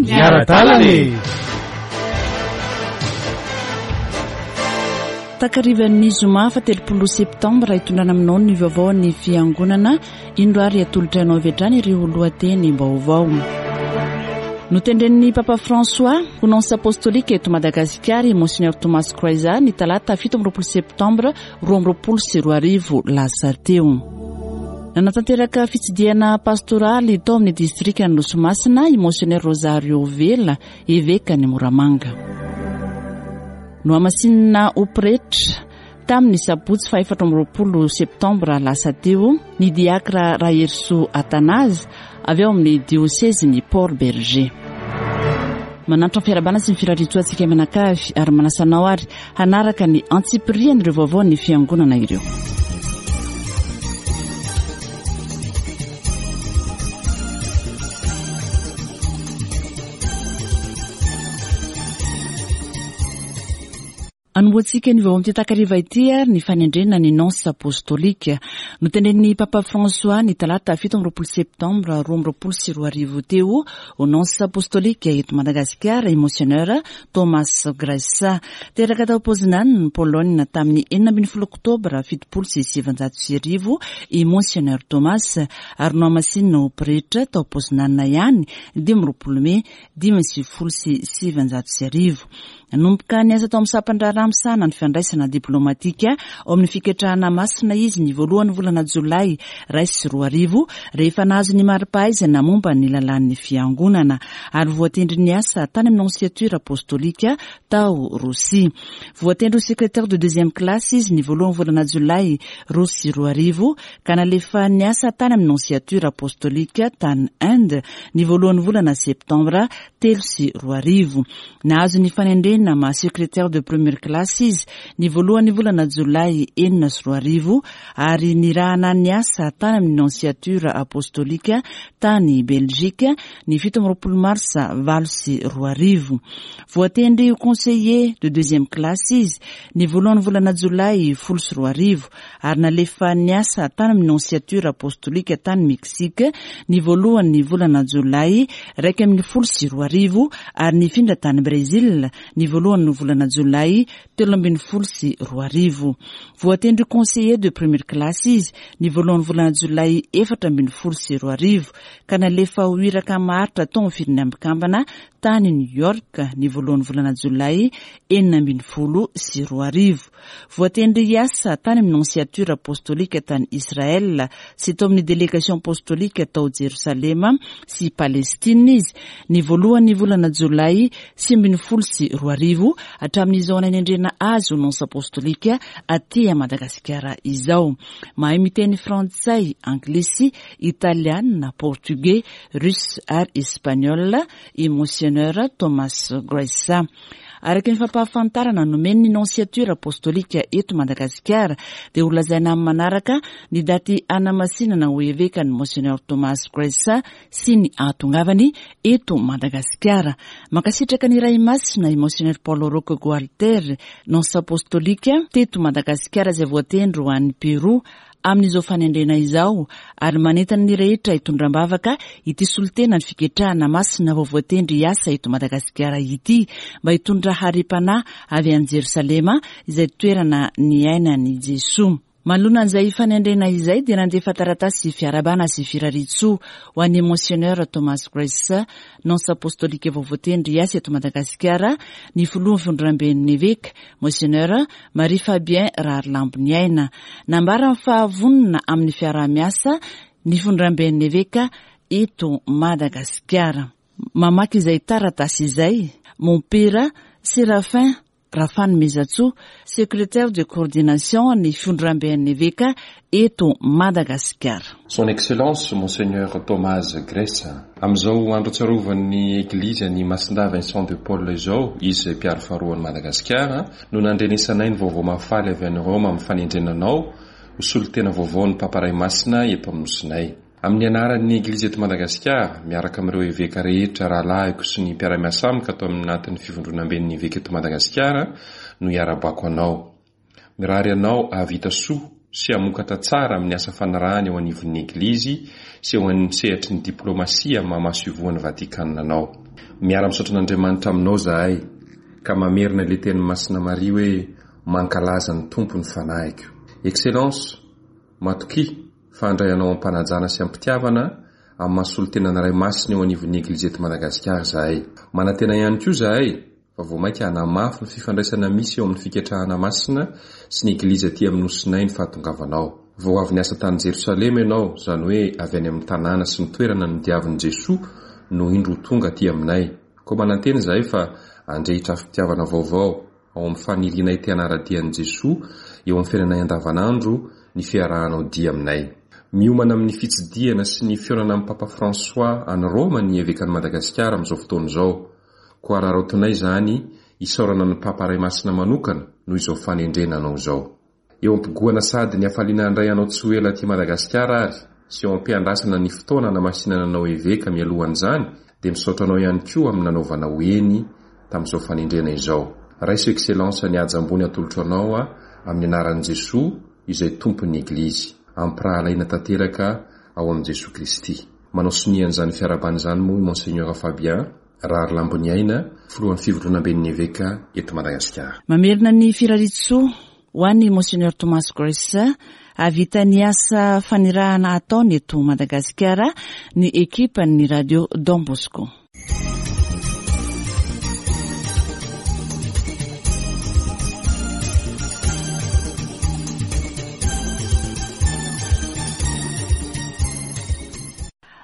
Miara-dalana e! Takarivan'ny zoma fa 30 septambra hitondrana aminao ny vaovao ny fiangonana indro ary atolotra anao avy hatrany ireo lohateny vaovao. Notendren'ny Papa François ho nonce apostolique eto Madagasikara i Monseigneur Thomas Croiza ny talata 27 septambra 2022 lasa teo. Nanatanteraka fitsidihana pastoraly tao amin'ny distrikan'i Nosy Masina i Monseigneur Rosario Vela, evekan'i Moramanga. Nohamasinina ho pretra tamin'ny sabotsy faha 24 septambra lasa teo ny diakra Raherisoa Athanase avy ao amin'ny diosezin'i Port Bergé. Manantitra ny fiarahabana sy ny firariantsoa antsika mianakavy ary manasa anao ary hanaraka ny antsipirian'ireo vaovaon'ny fiangonana ireo. Anombohantsika ny vaovao amin'ity takariva ity ary ny fanendrena ny nonce apostolique. Notendren'ny Papa François ny talata 27 septambra 2022 teo ho nonce apostolique eto Madagasikara i Monseigneur Thomas Graissa. Teraka tao Poznan, Pologne tamin'ny 16 oktobra 1970 i Monseigneur Thomas ary nohamasinina ho pretra tao Poznan ihany 25 mey 1995. Nanomboka niasa tao amin'ny sampan-draharaha misahana ny fiandraisana diplaomatika ao amin'ny fiketrahana masina izy ny voalohan'ny volana jolay 2001 rehefa nahazo ny mari-pahaizana momba ny lalàn'ny fiangonana ary voatendry niasa tany amin'ny nonciature apostolika tao Rosia. Voatendry ho secrétaire de deuxième classe izy ny voalohan'ny volana jolay 2002 ka nalefa niasa tany amin'ny nonciature apostolika tany Inde ny voalohan'ny volana septambra 2003. Nahazo ny fanendrena maha secrétaire de première classe izy ny voalohan'ny volana jolay 2006 ary nirahana niasa tany amin'ny nonciature apostolika tany Belgique ny 27 marsa 2008. Voatendry ho conseiller de deuxième classe izy ny voalohan'ny volana jolay 2010 ary nalefa niasa tany amin'ny nonciature apostolika tany Mexique ny voalohan'ny volana jolay 2011 ary nifindra tany Brésil ny voalohan'ny volana jolay 2013. Voatendry conseiller de première classe izy ny voalohan'ny volana jolay 2014 ka nalefa ho iraka maharitra tao amin'ny firenena mikambana tany New York ny voalohan'ny volana jolay 2016. Voatendry hiasa tany amin'ny nonciature apostolika tany Israël sy tao amin'ny délégation apostolika tao Jerosalema sy Palestine izy ny voalohan'ny volana jolay 2019 hatramin'izao nanendrena azy ho nonce apostolika aty Madagasikara izao. Mahay miteny frantsay, anglisy, italiana, portugais, russe ary espagnol i Monseigneur Thomas Graissa. Araka ny fampahafantarana nomen'ny nonciature apostolika eto Madagasikara dia ho lazaina amin'ny manaraka ny daty hanamasinana ho eveka ny Monseigneur Thomas Graissa sy ny ahatongavany eto Madagasikara. Mankasitraka ny Ray Masina i Monseigneur Paul Roch Gualter, nonce apostolika teto Madagasikara izay voatendry ho any Pérou amin'izao fanendrena izao ary manentana ny rehetra hitondra am-bavaka ity solontena ny fiketrahana masina vao voatendry hiasa eto Madagasikara ity mba hitondra harem-panahy avy any Jerosalema izay toerana niainan'i Jesoa. Manoloana an'izay fanendrena izay dia nandefa taratasy fiarahabana sy firariantsoa ho an'i Monseigneur Thomas Grace, nonce apostolika vao voatendry hiasa eto Madagasikara ny filohan'ny fivondronamben'ny eveka, Monseigneur Marie Fabien Raharilamboniaina. Nambarany fa vonona amin'ny fiaraha-miasa ny fivondronamben'ny eveka eto Madagasikara. Mamaky izay taratasy izay, Mompera Séraphin Rafanomezantsoa, secrétaire de coordination ny fivondronamben'ny eveka eto Madagasikara. Son Excellence Monseigneur Thomas Gressa. Amin'izao andro atsiarovan'ny Eglizy an'i Masindahy Vincent de Paul izao, izy izay mpiaro faharoan'i Madagasikara, no nandrenesanay ny vaovao mahafaly avy any Roma amin'ny fanendrena anao ho solontena vaovaon'ny Papa Ray Masina eto amin'ny Nosinay. Amin'ny anaran'ny Eglizy eto Madagasikara, miaraka amin'ireo eveka rehetra rahalahiko sy ny mpiara-miasa amiko ato anatin'ny Fivondronamben'ny Eveka eto Madagasikara no iarahabako anao. Mirary anao hahavita soa. sy hamokatra tsara amin'ny asa fanirahana eo anivon'ny Eglizy sy eo amin'ny sehatry ny diplaomasia amin'ny maha masoivohon'i Vatikana anao. Miara-misaotra an'Andriamanitra aminao izahay ka mamerina ilay tenin'i Masina Maria hoe mankalaza ny Tompo ny fanahiko. Excellence, matokia fa handray anao am-panajana sy am-pitiavana amin'ny maha solontenan'ny Ray Masina eo anivon'ny Eglizy eto Madagasikara izahay. Manantena ihany koa izahay fa vao mainka hanamafy ny fifandraisana misy eo amin'ny Fiketrahana Masina sy ny Eglizy aty amin'ny Nosinay ny fahatongavanao. Vao avy niasa tany Jerosalema ianao, izany hoe avy any amin'ny tanàna sy ny toerana nodiavin'i Jesoa no indro ho tonga aty aminay. Koa manantena izahay fa handrehitra afom-pitiavana vaovao ao amin'ny fanirianay te hanara-dia an'i Jesoa eo amin'ny fiainanay andavanandro ny fiarahanao dia aminay. Miomana amin'ny fitsidihana sy ny fihaonana amin'i Papa François any Roma ny Evekan'i Madagasikara amin'izao fotoana izao. Koa araraotinay izany hisaorana ny Papa Ray Masina manokana noho izao fanendrena anao izao. Eo am-pigohana sady ny hafaliana handray anao tsy ho ela aty Madagasikara ary sy eo am-piandrasana ny fotoana hanamasinana anao Eveka mialohan'izany dia misaotra anao ihany koa amin'ny nanaovanao eny tamin'izao fanendrena izao. Raiso Excellence ny haja ambony atolotro anao amin'ny anaran'i Jesoa izay Tompon'ny Eglizy. Ampirahalaina tanteraka ao amin'i Jesoa Kristy. Manao sonia an'izany fiarahabana izany moa i Monseigneur Fabien Raharilamboniaina, Filohan'ny Fivondronamben'ny Eveka eto Madagasikara. Mamerina ny firariantsoa ho an'i Monseigneur Thomas Grace hahavita ny asa fanirahana ataony eto Madagasikara ny ekipan'ny Radio Don Bosco.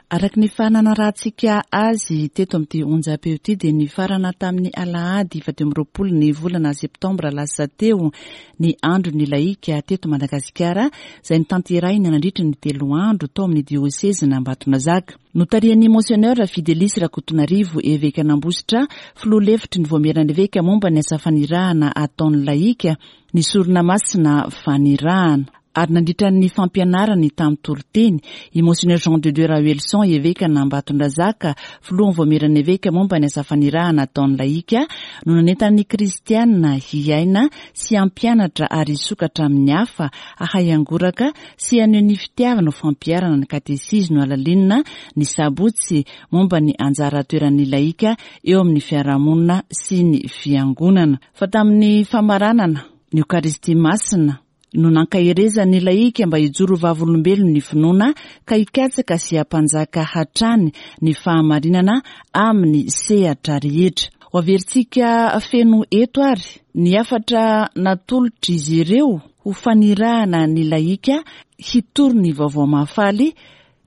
Araka ny efa nanarahantsika azy teto amin'ity onjam-peo ity dia nifarana tamin'ny alahady 24 ny volana septambra lasa teo ny andron'ny lahika teto Madagasikara izay notanterahina nandritra ny telo andro tao amin'ny diosezin'Ambatonazaka. Notarihan'ny Monseigneur Fidelis Rakotonarivo, evekan'Ambositra, filoha lefitry ny Vaomieran'ny Eveka momba ny asa fanirahana ataon'ny lahika, ny sorona masina fanirahana. Ary nandritra ny fampianarany tamin'ny toriteny, i Monseigneur Jean de Dieu Raoelison, evekan'Ambatondrazaka, filohan'ny Vaomieran'ny Eveka momba ny asa fanirahana ataon'ny lahika, no nanentana ny kristiana hiaina sy hampianatra ary hisokatra amin'ny hafa, hahay hangoraka sy haneho ny fitiavana ho fampiharana ny katesizy nohalalinina ny sabotsy momba ny anjara toeran'ny lahika eo amin'ny fiarahamonina sy ny fiangonana. Fa tamin'ny famaranana ny Eokaristia Masina, no nankaherezany ny lahika mba hijoro ho vavolombelon'ny finoana ka hikatsaka sy hampanjaka hatrany ny fahamarinana amin'ny sehatra rehetra. Ho averintsika feno eto ary ny hafatra natolotr'izy ireo ho fanirahana ny lahika hitory ny vaovao mahafaly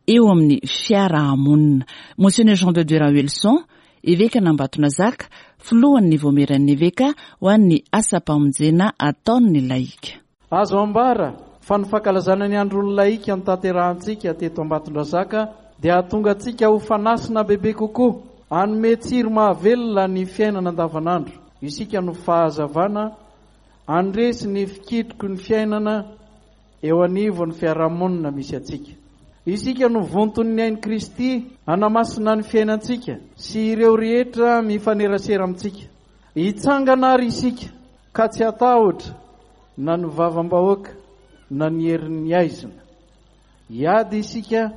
eo amin'ny fiarahamonina. Monseigneur Jean de Dieu Raoelison, Evekan'Ambatonazaka, filohan'ny Vaomieran'ny Eveka ho an'ny asam-pamonjena ataon'ny lahika. Azo ambara fa ny fankalazana ny Andron'ny Lahika notanterahantsika teto Ambatondrazaka dia hahatonga antsika ho fanasina bebe kokoa, hanome tsiro mahavelona ny fiainana andavanandro. Isika no fahazavana handresy ny fikitroky ny fiainana eo anivon'ny fiarahamonina misy antsika. Isika no vonton'ny ain'i Kristy hanamasina ny fiainantsika sy ireo rehetra mifanerasera amintsika. Hitsangana àry isika ka tsy hatahotra na ny vavam-bahoaka na ny herin'ny haizina. Hiady isika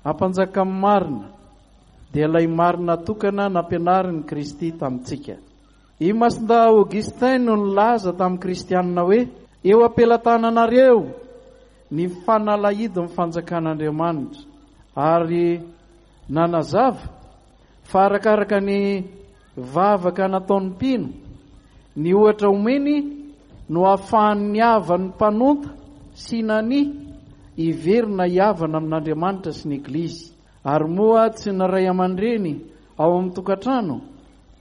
hampanjaka ny marina, dia ilay marina tokana nampianarin'i Kristy tamintsika. I Masindahy Augustin no nilaza tamin'ny Kristianina hoe, Eo am-pelatananareo ny fanalahidin'ny fanjakan'Andriamanitra, ary nanazava fa arakaraka ny vavaka nataon'ny mpino, ny ohatra omeny no ahafahan'ny havan'ny mpanonta sy nania hiverina hihavana amin'Andriamanitra sy ny Eglizy. Ary moa tsy ny ray aman-dreny ao amin'ny tokantrano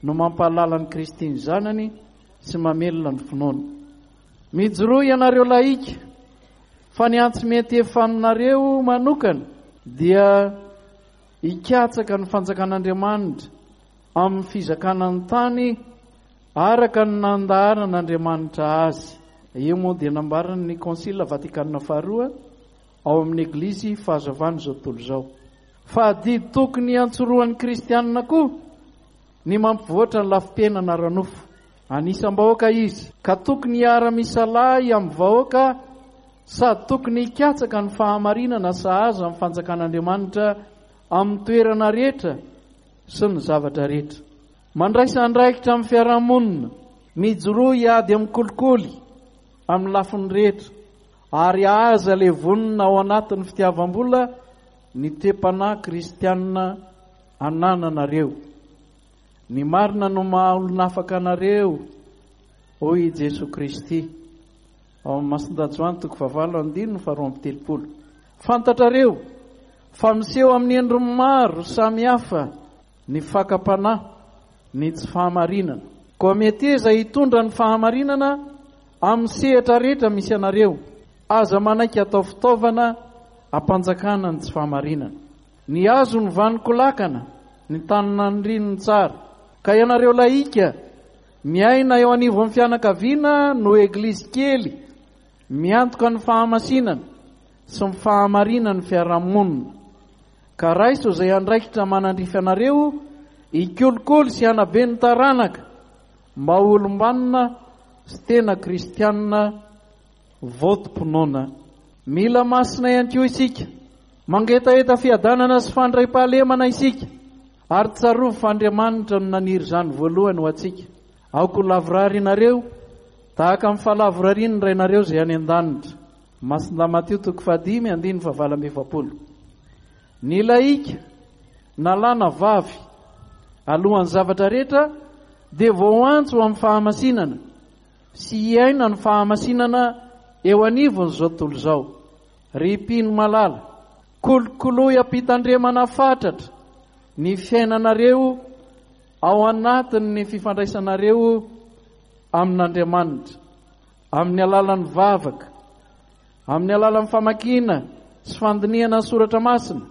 no mampahalala an'i Kristy ny zanany sy mamelona ny finoany? Mijoroa ianareo lahika, fa ny antsy mety efa aminareo manokana dia hikatsaka ny fanjakan'Andriamanitra amin'ny fizakana ny tany araka ny nandaharan'Andriamanitra azy. Io moa dia nambaran'ny Konsila Vatikana faharoa ao amin'ny Eglizy Fahazavan'izao tontolo izao. Fa adidy tokony hiantsorohan'ny kristianina koa ny mampivoatra ny lafim-piainana ara-nofo. Anisam-bahoaka izy, ka tokony hiara-misalahy amin'ny vahoaka. sady tokony hikatsaka ny fahamarinana sahaza amin'ny fanjakan'Andriamanitra amin'ny toerana rehetra sy ny zavatra rehetra. Mandraisa andraikitra amin'ny fiarahamonina, mijoroa hiady amin'ny kolikoly amin'ny lafiny rehetra, ary aza levonina ao anatin'ny fitiavam-bola ny toe-panahy kristianina anananareo. Ny marina no maha olon'afaka anareo, hoy i Jesoa Kristy. Ao amin'ny Masindahy Joany toko fahavalo andininy faharoa amby telopolo. Fantatrareo fa miseho amin'ny endriny maro samihafa ny fakam-panahy, ny tsy fahamarinana. Koa meteza hitondra ny fahamarinana amin'ny sehatra rehetra misy anareo. Aza manaiky atao fitaovana hampanjakana ny tsy fahamarinana. Ny hazo no vanon-kolakana, ny tany naniriny ny tsara. Ka ianareo lahika, miaina eo anivon'ny fianakaviana no eglizy kely miantoka ny fahamasinana sy ny fahamarinan'ny fiarahamonina. Ka raiso izay andraikitra manandrify anareo hikolokolo sy hanabe ny taranaka mba ho olom-banona sy tena kristianina votom-pinoana. Mila masina ihany koa isika. Mangetaheta fiadanana sy fandriampahalemana isika, ary tsarovy fa Andriamanitra no naniry izany voalohany ho antsika. Aoka ho lavorary ianareo, tahaka ny fahalavorarian'ny Rainareo izay any an-danitra. Masindahy Matio toko fahadimy andininy fahavalo amby efapolo. Ny lahika, na lahy na vavy, alohan'ny zavatra rehetra, dia voaantso ho amin'ny fahamasinana, sy hiaina ny fahamasinana eo anivon'izao tontolo izao. Ry mpino malala, kolokoloy am-pitandremana fatratra ny fiainanareo ao anatin'ny fifandraisanareo amin'Andriamanitra, amin'ny alalan'ny vavaka, amin'ny alalan'ny famakiana sy fandinihana ny soratra masina,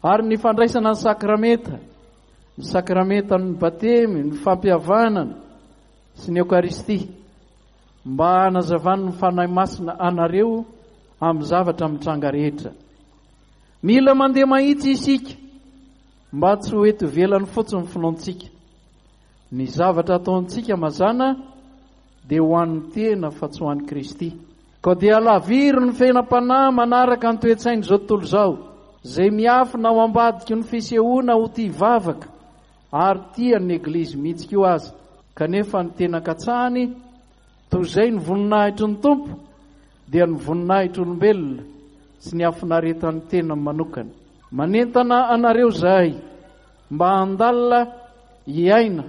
ary ny fandraisana ny sakramenta, ny sakramentan'ny batemy, ny fampihavanana, sy ny Eokaristia, mba hanazavan'ny Fanahy Masina anareo amin'ny zavatra mitranga rehetra. Mila mandeha mahitsy isika mba tsy ho eto ivelany fotsiny ny finoantsika. Ny zavatra ataontsika mazàna dia ho an'ny tena fa tsy ho an'i Kristy. Koa dia alaviro ny fiainam-panahy manaraka ny toe-tsain'izao tontolo izao, izay miafina ao ambadiky ny fisehoana ho tia vavaka ary tia ny Eglizy mihitsy koa aza, kanefa ny tena katsahany, toy izay ny voninahitry ny Tompo, dia ny voninahitr'olombelona sy ny hafinaretan'ny tenany manokana. Manentana anareo izahay mba handalina, hiaina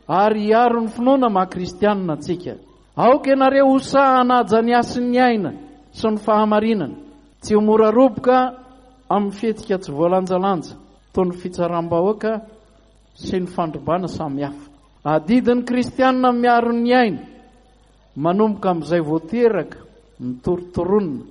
ary hiaro ny finoana maha kristianina antsika. Aoka ianareo ho sahy hanaja ny hasin'ny aina sy ny fahamarinana, tsy ho mora roboka amin'ny fihetsika tsy voalanjalanja. toy ny fitsaram-bahoaka sy ny fandrobana samihafa. Adidin'ny kristianina ny miaro ny aina, manomboka amin'izay vao teraka, ny torontoronina,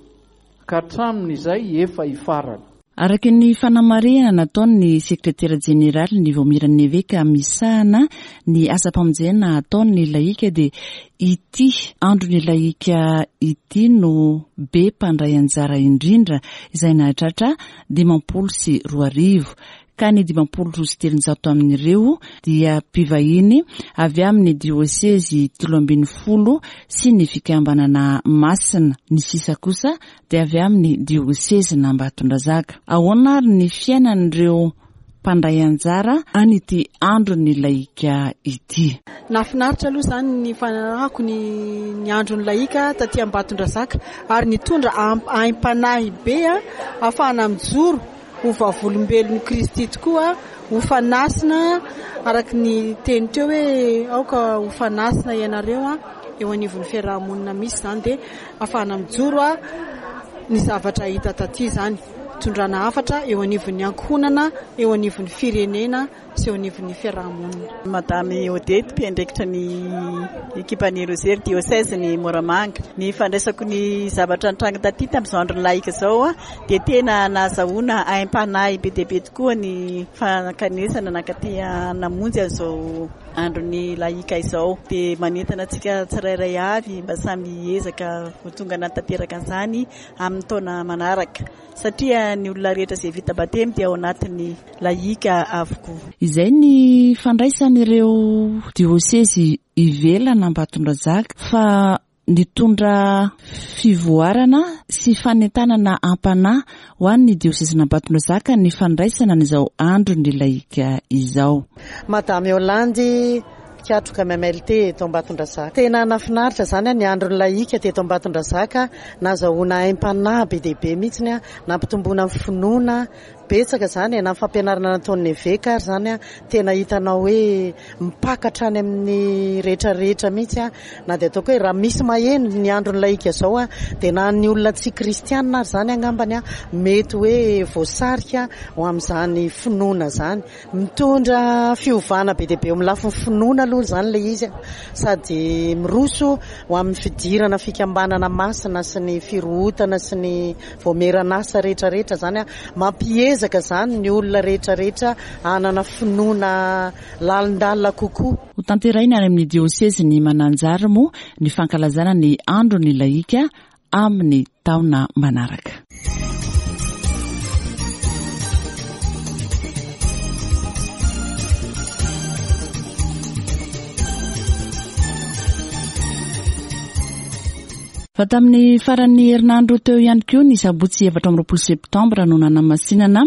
ka hatramin'izay efa hifarana. Araka ny fanamarihana nataon'ny sekretera jeneralin'ny Vaomieran'ny Eveka misahana ny asam-pamonjena ataon'ny lahika dia ity andron'ny lahika ity no be mpandray anjara indrindra izay nahatratra 2050 ka ny 350 amin'ireo dia mpivahiny avy amin'ny diosezy 13 sy ny fikambanana masina, ny sisa kosa dia avy amin'ny diosezin'Ambatondrazaka. Ahoana ary ny fiainan'ireo mpandray anjara an'ity andron'ny lahika ity? Nahafinaritra aloha izany ny fanarahako ny ny andron'ny lahika taty Ambatondrazaka ary nitondra aim-panahy be ahafahana mijoro ho vavolombelon'i Kristy tokoa, ho fanasina araka ny teny teo hoe aoka ho fanasina ianareo eo anivon'ny fiaraha-monina misy izany dia ahafahana mijoro ny zavatra hita taty izany. Fitondrana hafatra eo anivon'ny ankohonana, eo anivon'ny firenena sy eo anivon'ny fiaraha-monina. Madame Odette, mpiandraikitra ny ekipan'ny Rozery Diocèse-n'i Moramanga. Ny fandraisako ny zavatra nitranga taty tamin'izao andron'ny lahika izao dia tena nahazahoana aim-panahy be dia be tokoa ny fankanesana nankaty namonjy an'izao andron'ny lahika izao. Dia manentana antsika tsirairay avy mba samy hiezaka ho tonga hanatanteraka an'izany amin'ny taona manaraka satria ny olona rehetra izay vita batemy dia ao anatin'ny lahika avokoa. Izay ny fandraisan'ireo diosezy ivelan'Ambatondrazaka fa. Nitondra fivoarana sy fanentanana am-panahy ho an'ny diosezin'Ambatondrazaka ny fandraisana an'izao andron'ny lahika izao. Madame Yolande, mpikatroka MMLT eto Ambatondrazaka. Tena nahafinaritra izany ny andron'ny lahika teto Ambatondrazaka, nazahoana aim-panahy be dia be mihitsy, nampitomboana ny finoana. Betsaka izany e, na ny fampianarana nataon'ny eveka ary izany tena hitanao hoe mipaka hatrany amin'ny rehetra rehetra mihitsy, na dia ataoko hoe raha misy maheno ny andron'ny lahika izao dia na ny olona tsy kristianina ary izany angambany mety hoe voasarika ho amin'izany finoana izany. Mitondra fiovana be dia be eo amin'ny lafiny finoana aloha izany ilay izy sady miroso ho amin'ny fidirana fikambanana masina sy ny firohotana sy ny vaomieran'asa rehetra rehetra izany. Mampiezaka izany ny olona rehetra rehetra hanana finoana lalindalina kokoa. Ho tanterahina any amin'ny diosezin'i Mananjary moa ny fankalazana ny andron'ny lahika amin'ny taona manaraka. Fa tamin'ny faran'ny herinandro teo ihany koa ny sabotsy 24 septambra no nanamasinana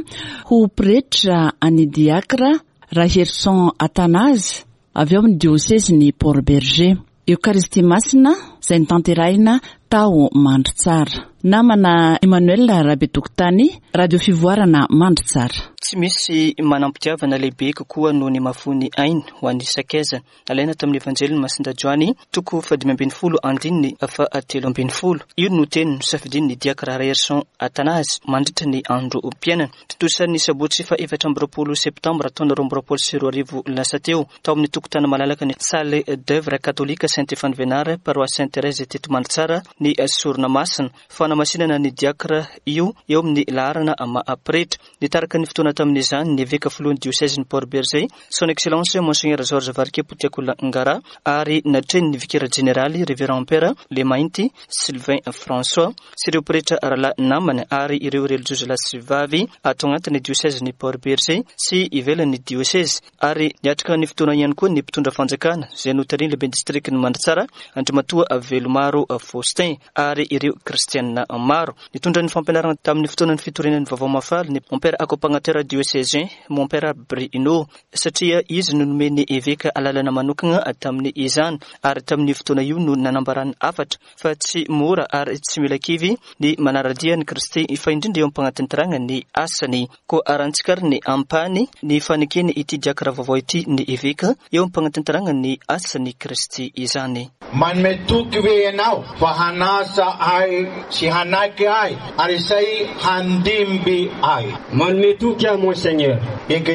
ho pretra an'i Diakra Raherison Athanase avy ao amin'ny diosezin'i Port-Bergé. Eokaristia Masina izay notanterahina tao Mandritsara. Namana Emmanuel Rabetokotany, Radio Fivoarana Mandritsara. Tsy misy manam-pitiavana lehibe kokoa noho ny mahafoy ny ainy ho an'ny sakaizany. Nalaina tamin'ny Evanjelin'i Masinda Joany, toko fahadimy ambin'ny folo andininy fahatelo ambin'ny folo. Io no teny nosafidian'ny Diakra Raherison Athanase mandritra ny androm-piainany. Tontosa ny sabotsy faha-24 septambra taona 2022 lasa teo, tao amin'ny tokotany malalaka ny Salle d'Oeuvre Katolika Saint Stéphane Vénard, Paroisse Sainte Thérèse teto Mandritsara ny sorona masina. Fanamasinana ny diakra io eo amin'ny laharana maha pretra. Nitarika ny fotoana tamin'izany ny eveka filohan'ny diosezin'i Port-Bergé, Son Excellence Monseigneur Georges Varikepo Tiakola Ngara, ary natrehin'ny vikera jeneraly Révérend Père Lemainty Sylvain François sy ireo pretra rahalahy namany ary ireo relijiozy lahy sy vavy ato anatin'ny diosezin'i Port-Bergé sy ivelan'ny diosezy. Ary niatrika ny fotoana ihany koa ny mpitondra fanjakana izay notarihin'ny lehiben'ny distrikan'i Mandritsara, Andriamatoa Velomaro Faustin, ary ireo kristianina maro. Nitondra ny fampianarana tamin'ny fotoanan'ny fitoriana ny vaovao mahafaly ny Mompera accompagnateur diocésain, Mompera Bruno, satria izy no nomen'ny eveka alalana manokana tamin'izany, ary tamin'io fotoana io no nanambarany hafatra fa tsy mora ary tsy mila kivy ny manara-dia an'i Kristy fa indrindra eo am-pagnatanterahana ny asany. Koa arahantsika ary ny ampahany ny fanekeny ity diakra vaovao ity ny eveka eo am-pagnatanterahana ny asan'i Kristy izany. Manome toky ve ianao fa hanasa ahy sy hanaiky ahy ary izay handimby ahy? Manome toky aho, Monseigneur. Enga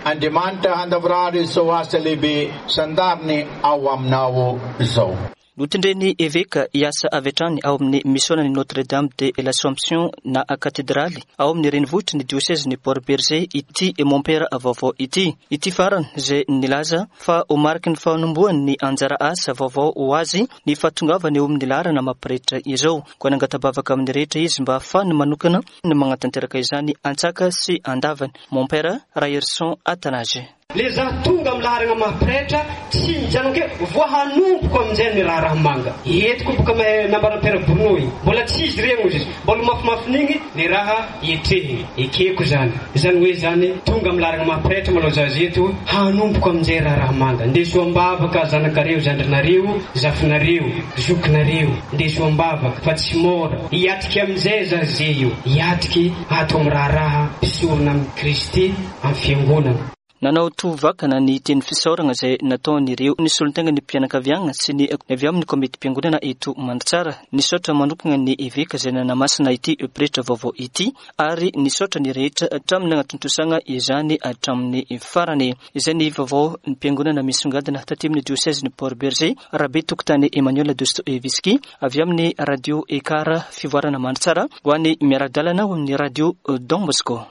Andriamanitra handavorary izao asa lehibe sandariny ao aminao izao. Notendren'ny eveka hiasa avy hatrany ao amin'ny misionan'ny Notre Dame de l'Assomption na katedraly ao amin'ny renivohitry ny diosezin'i Port-Bergé ity mompera vaovao ity. Ity farany izay nilaza fa ho mariky ny fanombohany ny anjara asa vaovao ho azy ny fahatongavany eo amin'ny laharana maha-pretra izao. Koa nangata-bavaka amin'ny rehetra izy mba hahafahany manokana ny magnatanteraka izany antsaka sy andavany. Mompera Raherison Athanase. Le za tonga am laharagna maha pretra tsy mijanona keo voa hanomboko aminjay ny raharaha manga eto koa boka mahay nambaran'i père Bruno igny mbola tsy izy regny ozy izy mbola mafimafin'igny le raha ietrehigny ekeko zany zany hoe zany tonga am laharagna maha pretra malao za zeto hanomboko aminjay raharaha manga ndeso ambavaka zanakareo zandrinareo zafinareo zokinareo ndeso ambavaka fa tsy mora hiatriky aminjay za ze io hiatriky ato am raharaha mpisorona am Kristy am fiangonana. Nanao tovakana ny teny fisaorana izay nataon'ireo nisolontena ny mpianakaviana sy ny avy amin'ny komitim-piangonana eto Mandritsara. Nisaotra manokana ny eveka izay nanamasina ity pretra vaovao ity ary nisaotra ny rehetra hatramin'ny nanatontosana izany hatramin'ny farany. Izay ny vaovao ny mpiangonana misongadina taty amin'ny diosezin'i Port-Bergé, Rabe Tokotany Emmanuel Dostoevsky avy amin'ny Radio Ekar Fivoarana Mandritsara ho an'ny miara-dalana ao amin'ny Radio Don Bosco.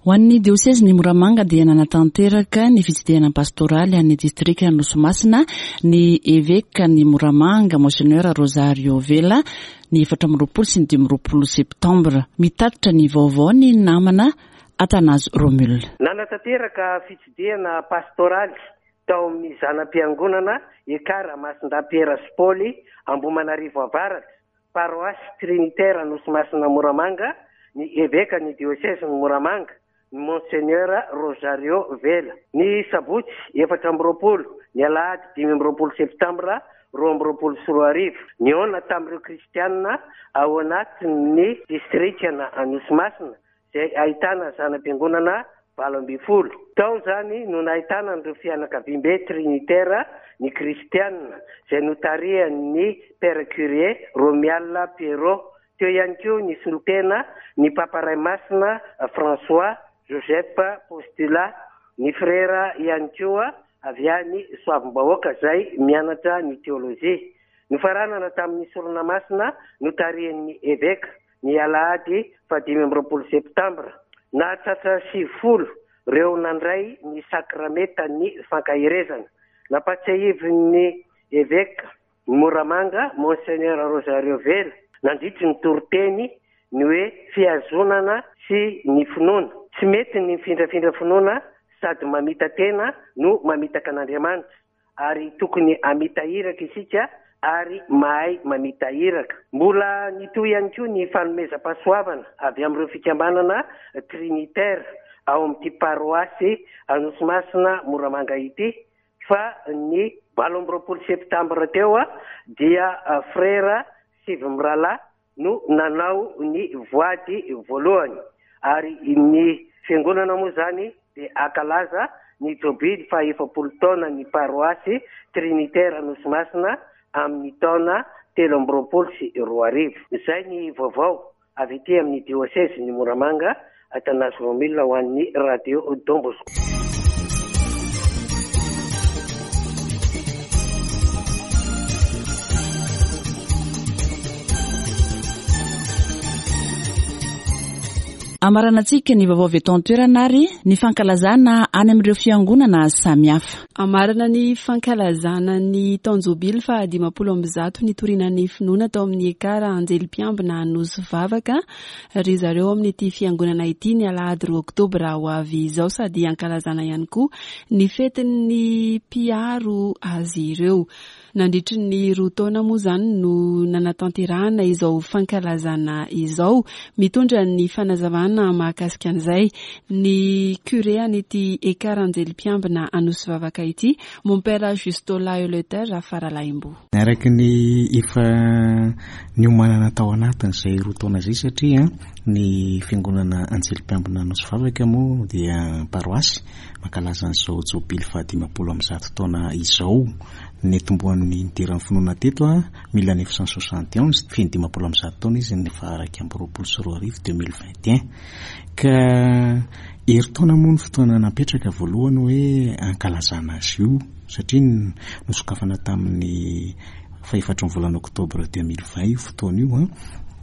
Ho an'ny diosezin'i Moramanga dia nanatanteraka ny fitsidihana pastoraly an'ny distrikan'i Nosy Masina ny evekan'i Moramanga, Monseigneur Rosario Vela, ny 24 sy ny 25 septambra. Mitatitra ny vaovao ny namana Athanase Romule. Nanatanteraka fitsidihana pastoraly tao amin'ny zana-piangonana Ekar Masindahy Piera sy Paoly Ambohimanarivo Avaratra, Paroasy Trinitaire Anosimasina Moramanga, ny Evekan'ny Diosezin'i Moramanga, ny Monseigneur Rosario Vela. Ny sabotsy 24, ny alahady 25 septambra 2022, nihaona tamin'ireo kristianina ao anatin'ny distrikan'Anosimasina izay ahitana zana-piangonana 18. Tao izany no nahitana an'ireo fianakaviambe trinitera ny kristiana, izay notarihan'ny Père Curé Romial Pierrot. Teo ihany koa ny solontena ny Papa Ray Masina François Joseph Postula, ny frera ihany koa avy any Soavimbahoaka izay mianatra ny teolojia. Nofaranana tamin'ny sorona masina notarihin'ny Eveka. Ny alahady faha 25 septambra, nahatratra 90 ireo nandray ny sakramentan'ny fankaherezana. Nampatsiahivin'ny Eveka Moramanga, Monseigneur Rosario Vela, nandritry ny toriteny ny hoe fihazonana sy ny finoana. Tsy mety ny mifindrafindra finoana sady mamita-tena no mamitaka an'Andriamanitra. ary tokony hamita iraka isika ary mahay mamita iraka. Mbola nitohy ihany koa ny fanomezam-pahasoavana avy amin'ireo fikambanana Trinitaire ao amin'ity paroasy Anosimasina Moramanga ity fa ny 28 septambra teo dia frera sivy mirahalahy no nanao ny voady voalohany ary ny fiangonana moa izany dia hankalaza ny jobily faha 40 taona ny paroasy Trinitaire Anosimasina amin'ny taona 2023. Izay ny vaovao avy ety amin'ny diosezin'i Moramanga, Athanase Romile ho an'ny Radio Don Bosco. Amaranantsika ny vaovao avy eto an-toerana ary ny fankalazana any amin'ireo fiangonana samihafa. Amarana ny fankalazana ny taon-jobily faha 150 nitoriana ny finoana tao amin'ny Ekar Anjely Mpiambina Anosy Vavaka ry zareo ao amin'ity fiangonana ity ny alahady 2 oktobra ho avy izao sady hankalazana ihany koa ny fetin'ny mpiaro azy ireo. Nandritry ny roa taona moa izany no nanatanterahana izao fankalazana izao. Mitondra ny fanazavana mahakasika an'izay ny curé an'ity Ekar Anjely Mpiambina Anosivavaka ity, Mompera Justola Eleuthère Rafaralahimbo. Araka ny efa niomanana tao anatin'izay roa taona izay satria ny Fiangonana Anjely Mpiambina Anosivavaka moa dia paroasy mankalaza an'izao jobily faha 150 taona izao. Nitomboan'ny nidiran'ny finoana teto 1971, feno 150 taona izy ny faha 2021, 2021. Ka herintaona moa ny fotoana napetraka voalohany hoe hankalazana azy io satria nosokafana tamin'ny fahefatry ny volana oktobra 2020 io fotoana io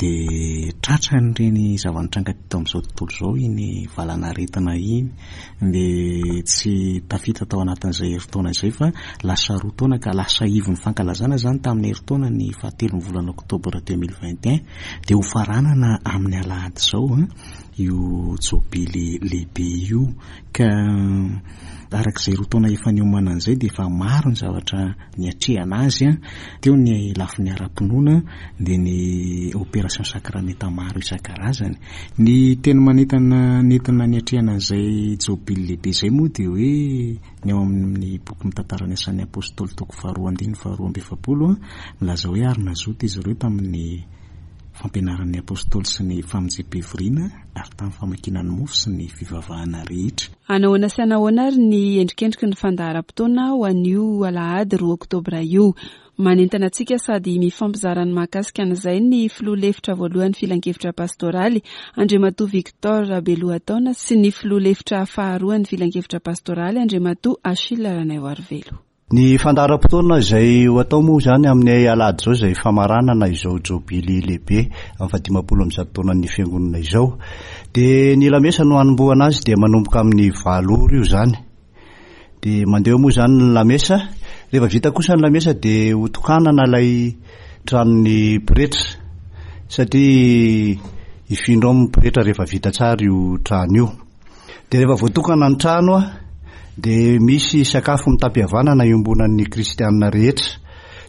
dia tratran'ireny zava-nitranga teto amin'izao tontolo izao iny valanaretina iny dia tsy tafita tao anatin'izay herintaona izay fa lasa roa taona ka lasa ivon'ny fankalazana izany tamin'ny herintaona ny fahatelon'ny volana oktobra 2021 dia ho faranana amin'ny alahady izao io jobily lehibe io ka araka izay roa taona efa niomanana izay dia efa maro ny zavatra niatrehana azy teo ny lafiny ara-pinoana dia ny opération sakramenta maro isan-karazany Ny teny manentana nentina niatrehana an'izay jobily lehibe izay moa dia hoe ny ao amin'ny boky mitantara ny asan'ny apostoly toko faharoa andininy faharoa amby efapolo milaza hoe ary nazoto izy ireo tamin'ny fampianaran'ny apostoly sy ny famonjem-pivoriana ary tamin'ny famakiana ny mofo sy ny fivavahana rehetra. Anahoana sy anahoana ary ny endrikendriky ny fandaharam-potoana ho an'io alahady 2 oktobra io? Manentana antsika sady mifampizara ny mahakasika an'izay ny filoha lefitra voalohan'ny filankevitra pastoraly, Andriamatoa Victor Rabelohataona sy ny filoha lefitra faharoan'ny filankevitra pastoraly, Andriamatoa Achille Ranaivoarivelo. Ny fandaharam-potoana izay ho atao moa izany amin'ny alahady izao izay famaranana izao jobily lehibe amin'ny fahadimampolo amby taonan'ny fiangonana izao. Dia ny lamesa no hanombohana azy dia manomboka amin'ny valo ora io izany. Dia mandeha eo moa izany ny lamesa. Rehefa vita kosa ny lamesa dia ho tokanana ilay tranon'ny pretra satria hifindra ao ny pretra rehefa vita tsara io trano io. Dia rehefa voatokana ny trano dia misy sakafo mitam-pihavanana iombonan'ny kristianina rehetra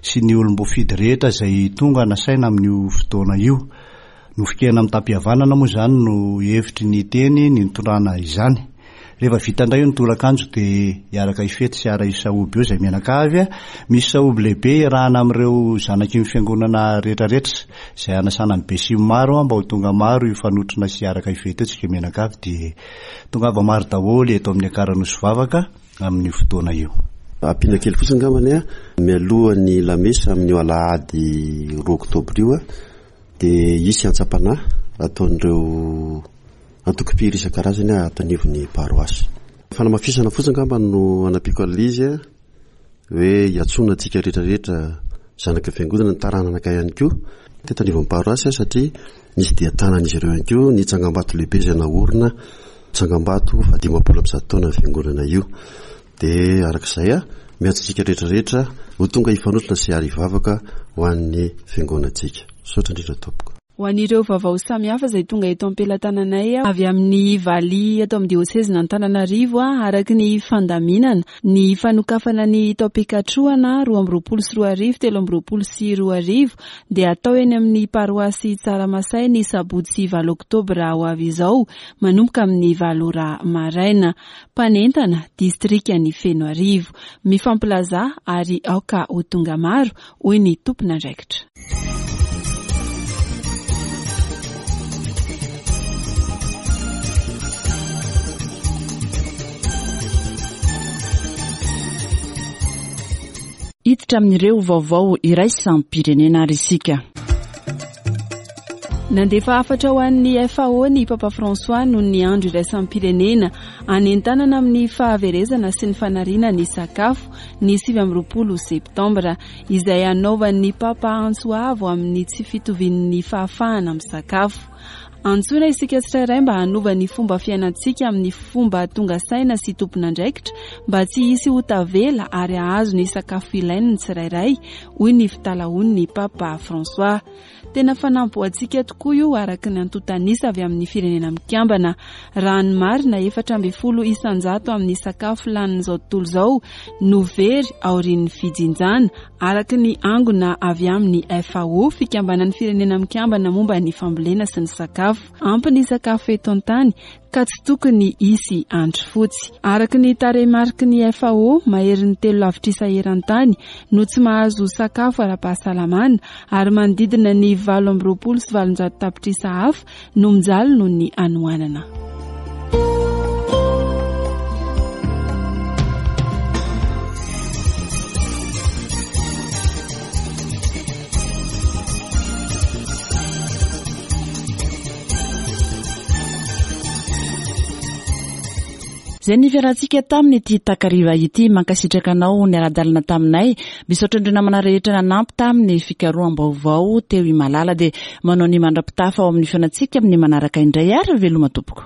sy ny olom-boafidy rehetra izay tonga nasaina amin'io fotoana io. Nofon-kena mitam-pihavanana moa izany no hevitry ny teny nitondrana izany. Rehefa vita indray io ny tolakandro dia hiaraka hifety sy hiara-hisahoby eo izay mianakavy. Misy sahoby lehibe iarahana amin'ireo zanaky ny fiangonana rehetrarehetra izay hanasana ny besinimaro mba ho tonga maro hifanotrona sy hiaraka hifety eo tsika mianakavy dia tongava maro daholo eto amin'ny Ankaran'Osy Vavaka amin'io fotoana io. Ampiana kely fotsiny angambany a, mialohan'ny lamesa amin'io alahady roa oktobra io dia hisy antsam-panahy ataon'ireo antokom-pihira isan-karazany ato anivon'ny paroasy. Fanamafisana fotsiny angamba no anampiako an'ilay izy hoe iantsoana antsika rehetra rehetra zanaky ny fiangonana, ny taranaka ihany koa teto anivon'ny paroasy satria nisy dia tanan'izy ireo ihany koa ny tsangambato lehibe izay naorina, tsangambato faha-dimampolo amby taona ny fiangonana io. Dia araka izay, miantso antsika rehetra rehetra ho tonga hifanotrona sy ary hivavaka ho an'ny fiangonantsika. Misaotra indrindra tompoko. Ho an'ireo vaovao samihafa izay tonga eto am-pelatananay avy amin'ny valiha eto amin'ny diosezin'Antananarivo araka ny fandaminana ny fanokafana ny taom-pikatrohana 2022 2023 dia atao eny amin'ny paroasy Tsaramasay ny sabotsy valo oktobra ho avy izao manomboka amin'ny valo ora maraina. Mpanentana, distrikan'i Fenoarivo. Mifampilazà ary aoka ho tonga maro, hoy ny tompon'andraikitra. Hiditra amin'ireo vaovao iraisam-pirenena ary isika. Nandefa hafatra ho an'ny FAO ny Papa François noho ny andro iraisam-pirenena anentanana amin'ny fahaverezana sy ny fanariana ny sakafo ny 29 septambra, izay hanaovan'ny Papa antso avo amin'ny tsy fitovian'ny fahafahana misakafo. Antsoina isika tsirairay mba hanova ny fomba fiainantsika amin'ny fomba tonga saina sy tompon'andraikitra mba tsy hisy ho tavela ary hahazo ny sakafo ilainy ny tsirairay, hoy ny fitalahoan'ny Papa François. Tena fanamby ho antsika tokoa io araka ny antontan'isa avy amin'ny Firenena Mikambana. Raha ny marina, 14 isanjato amin'ny sakafo lanin'izao tontolo izao no very aorian'ny fijinjana, araka ny angona avy amin'ny FAO, Fikambanan'ny Firenena Mikambana momba ny Fambolena sy ny Sakafo. Ampy ny sakafo eto an-tany ka tsy tokony hisy andry fotsy. Araka ny tarehimariky ny FAO, maherin'ny telo lavitrisa eran-tany no tsy mahazo sakafo ara-pahasalamana ary manodidina ny 828 tapitrisa hafa no mijaly noho ny hanoanana. Izay ny fiarahantsika taminy ity takariva ity. Mankasitraka anao niara-dalana taminay. Misaotra an'ireo namana rehetra nanampy tamin'ny fikaroham-baovao teo i Malala. Dia manao ny mandra-pitafa ao amin'ny fihaonantsika amin'ny manaraka indray ary veloma tompoko.